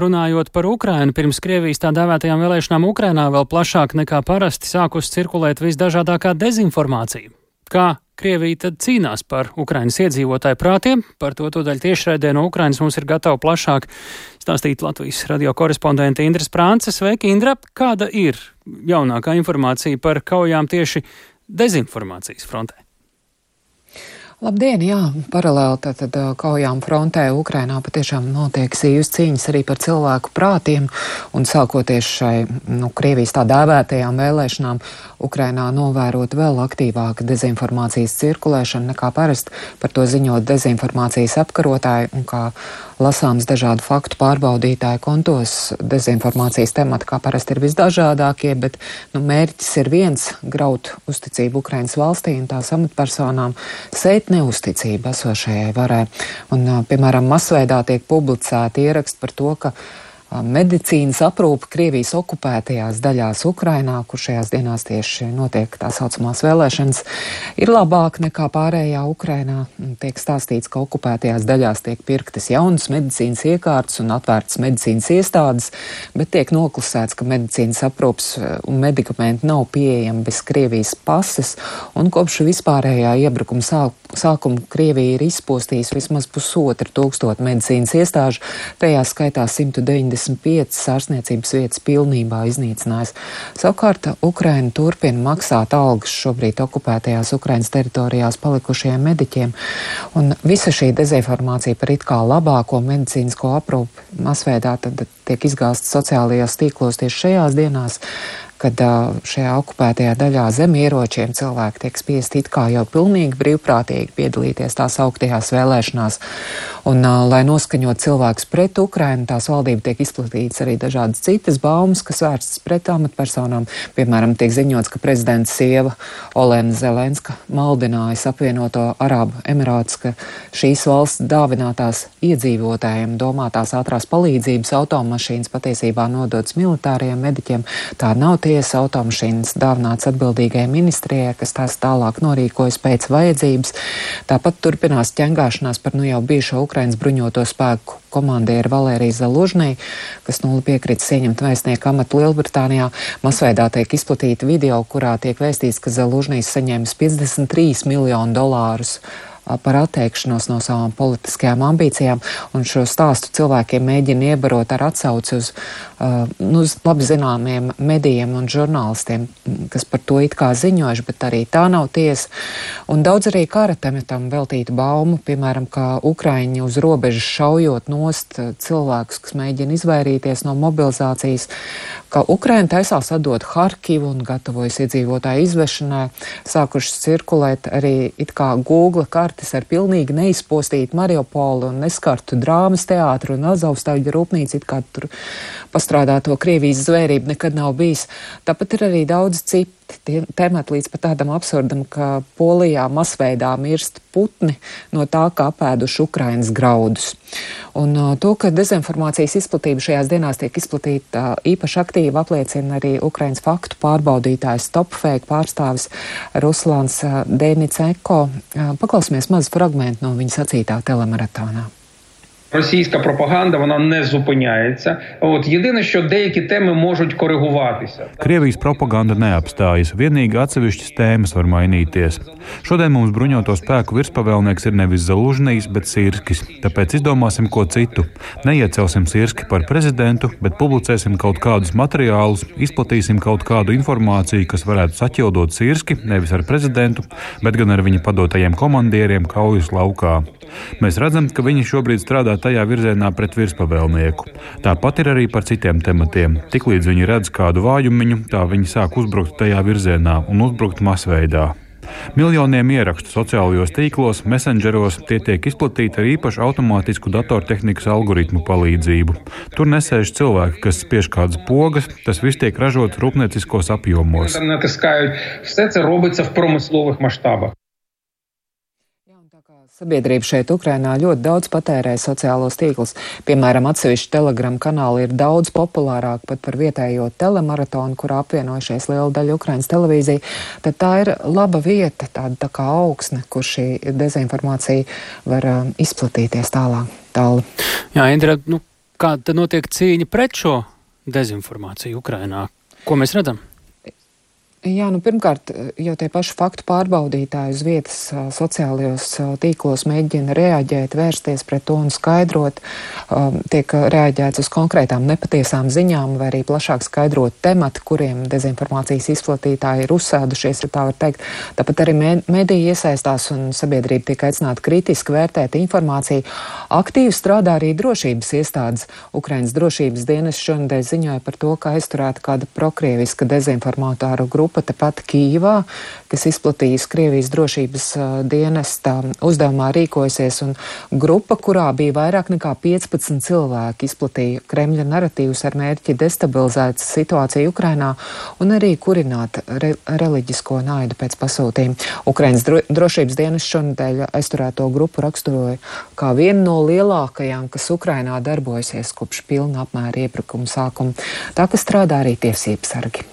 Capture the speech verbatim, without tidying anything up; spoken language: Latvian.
Runājot par Ukrainu, pirms Krievijas tā dēvētajām vēlēšanām Ukrainā vēl plašāk nekā parasti sākus cirkulēt visdažādākā dezinformācija. Kā Krievija tad cīnās par Ukrainas iedzīvotāju prātiem? Par to tūdaļ tiešraidē no Ukrainas mums ir gatava plašāk stāstīt Latvijas radio korespondente Indra Sprānce. Sveiki, Indra! Kāda ir jaunākā informācija par kaujām tieši dezinformācijas frontē? Labdien, jā, paralēli tātad kaujām frontē Ukrainā patiešām notiek sīvas cīņas arī par cilvēku prātiem, un sākoties šai, nu, Krievijas tā dēvētajām vēlēšanām, Ukrainā novērot vēl aktīvāka dezinformācijas cirkulēšana nekā parasti, par to ziņot dezinformācijas apkarotāji, un kā lasāms dažādu faktu pārbaudītāju kontos, dezinformācijas temati kā parasti ir visdažādākie, bet, nu, mērķis ir viens - graut uzticību Ukrainas valstī un tās amatpersonām, sēt neusticība esošajai varai. Un, piemēram, masveidā tiek publicēti ieraksti par to, ka medicīnas aprūpe Krievijas okupētajās daļās Ukrainā, kur šajās dienās tieši notiek tā saucamās vēlēšanas, ir labāk nekā pārējā Ukrainā. Tiek stāstīts, ka okupētajās daļās tiek pirktas jaunas medicīnas iekārtas un atvērtas medicīnas iestādes, bet tiek noklusēts, ka medicīnas aprūpes un medikamenti nav pieejami bez Krievijas pases, un kopš vispārējā iebrukuma sāk, sākuma Krievija ir izpostījusi vismaz pusotru tūkstotu medicīnas iestāžu, tajā skaitā simts deviņdesmit piecas ārstniecības vietas pilnībā iznīcinājis. Savukārt Ukraina turpina maksāt algas šobrīd okupētajās Ukrainas teritorijās palikušajiem mediķiem, un visa šī dezinformācija par it kā labāko medicīnisko aprūpi masveidā tad tiek izgāsta sociālajos tīklos tieši šajās dienās, kad šajā okupētajā daļā zem ieročiem cilvēki tiek spiesti it kā jau pilnīgi brīvprātīgi piedalīties tās augtajās vēlēšanās. Un, lai noskaņot cilvēkus pret Ukrainu, tās valdība tiek izplatītas arī dažādas citas baumas, kas vērstas pret amatpersonām. Piemēram, tiek ziņots, ka prezidenta sieva Olena Zelenska maldinājas apvienoto Arābu Emirātus, ka šīs valsts dāvinātās iedzīvotājiem domātās ātrās palīdzības automašīnas patiesībā nodotas militāriem mediķiem. Tā nav tiesa, automašīnas dāvināts atbildīgajai ministrijai, kas tās tālāk norīkojas pēc vajadzības. Tāpat turpinās ķengāšanās par nu jau bijušo Ukrainas bruņoto spēku komandieru Valēriju Zalužnī, kas nu piekritis ieņemt vēstnieku amatu Lielbritānijā. Masveidā tiek izplatīta video, kurā tiek vēstīts, ka Zalužnīs saņēmis piecdesmit trīs miljonu dolārus par atteikšanos no savām politiskajām ambīcijām, un šo stāstu cilvēkiem mēģina iebarot ar atsauci uz, uh, nu, uz labi zināmiem medijiem un žurnālistiem, kas par to it kā ziņojuši, bet arī tā nav tiesa. Un daudz arī kara tematam veltītu baumu, piemēram, kā Ukraiņi uz robežas šaujot nost cilvēkus, kas mēģina izvairīties no mobilizācijas, ka Ukraina taisās atdot Harkivu un gatavojas iedzīvotāju izvešanai, sākušas cirkulēt arī it kā Google kartes ar pilnīgi neizpostītu Mariupolu un neskartu drāmas teātru un Azovstaļu rūpnīcu, it kā tur pastrādāto Krievijas zvērību nekad nav bijis. Tāpat ir arī daudz citi temati līdz pat tādam absurdam, ka Polijā masveidā mirst putni no tā, kā apēduši Ukrainas graudus. Un uh, to, ka dezinformācijas izplatība šajās dienās tiek izplatīta uh, īpaši aktīvi, apliecina arī Ukrainas faktu pārbaudītājs Stopfake pārstāvis Ruslāns uh, Dēniceko. Uh, paklausīsimies mazu fragmentu no viņa sacītā telemaratonā. Російська пропаганда, вона не зупиняється. От єдине, що деякі теми можуть коригуватися. Krievijas propaganda neapstājas, vienīgi atsevišķas tēmas var mainīties. Šodien mums bruņoto spēku virspavēlnieks ir nevis Zalužnijs, bet Sirskis. Tāpēc izdomāsim ko citu. Neiecelsim Sirski par prezidentu, bet publicēsim kaut kādus materiālus, izplatīsim kaut kādu informāciju, kas varētu saķildot Sirski, nevis ar prezidentu, bet gan ar viņa padotajiem komandieriem kaujas laukā. Mēs redzam, ka viņi šobrīd strādā tajā virzienā pret virspavēlnieku. Tāpat ir arī par citiem tematiem. Tiklīdz viņi redz kādu vājumiņu, tā viņi sāk uzbrukt tajā virzienā un uzbrukt masveidā. Miljoniem ierakstu sociālajos tīklos, messengeros, tie tiek izplatīti ar īpašu automātisku datortehnikas algoritmu palīdzību. Tur nesēž cilvēki, kas spiež kādas pogas, tas viss tiek ražots rūpnieciskos apjomos. Все це робиться в промислових масштабах. Sabiedrība šeit Ukrainā ļoti daudz patērē sociālos tīklus. Piemēram, atsevišķi Telegram kanāli ir daudz populārāk pat par vietējo telemaratonu, kurā apvienojušies liela daļa Ukrainas televīzija. Tad tā ir laba vieta, tāda tā kā augsne, kur šī dezinformācija var uh, izplatīties tālāk. Tāli. Jā, Indra, nu, Kāda tad notiek cīņa pret šo dezinformāciju Ukrainā? Ko mēs redzam? Jā, nu pirmkārt, jau tie paši faktu pārbaudītāji uz vietas sociālajos tīklos mēģina reaģēt, vērsties pret to un skaidrot. Tiek reaģēts uz konkrētām nepatiesām ziņām vai arī plašāk skaidrot temati, kuriem dezinformācijas izplatītāji ir uzsēdušies, ja tā var teikt. Tāpat arī mediji iesaistās un sabiedrība tiek aicināta kritiski vērtēt informāciju. Aktīvi strādā arī drošības iestādes. Ukrainas drošības dienas šonadēļ ziņoja par to, ka aizturēta kāda prokrieviska dezinformātāru grupa tepat Kīvā, kas izplatījis Krievijas drošības uh, dienesta uzdevumā rīkojasies, un grupa, kurā bija vairāk nekā piecpadsmit cilvēki, izplatīja Kremļa naratīvus ar mērķi destabilizēt situāciju Ukrainā un arī kurināt re reliģisko naidu pēc pasūtījuma. Ukrainas dro drošības dienesta šonadēļ aizturēto grupu raksturoja kā vienu no lielākajām, kas Ukrainā darbojasies kopš pilna apmēra iebrukuma sākuma. Tā, ka strādā arī tiesības sargi.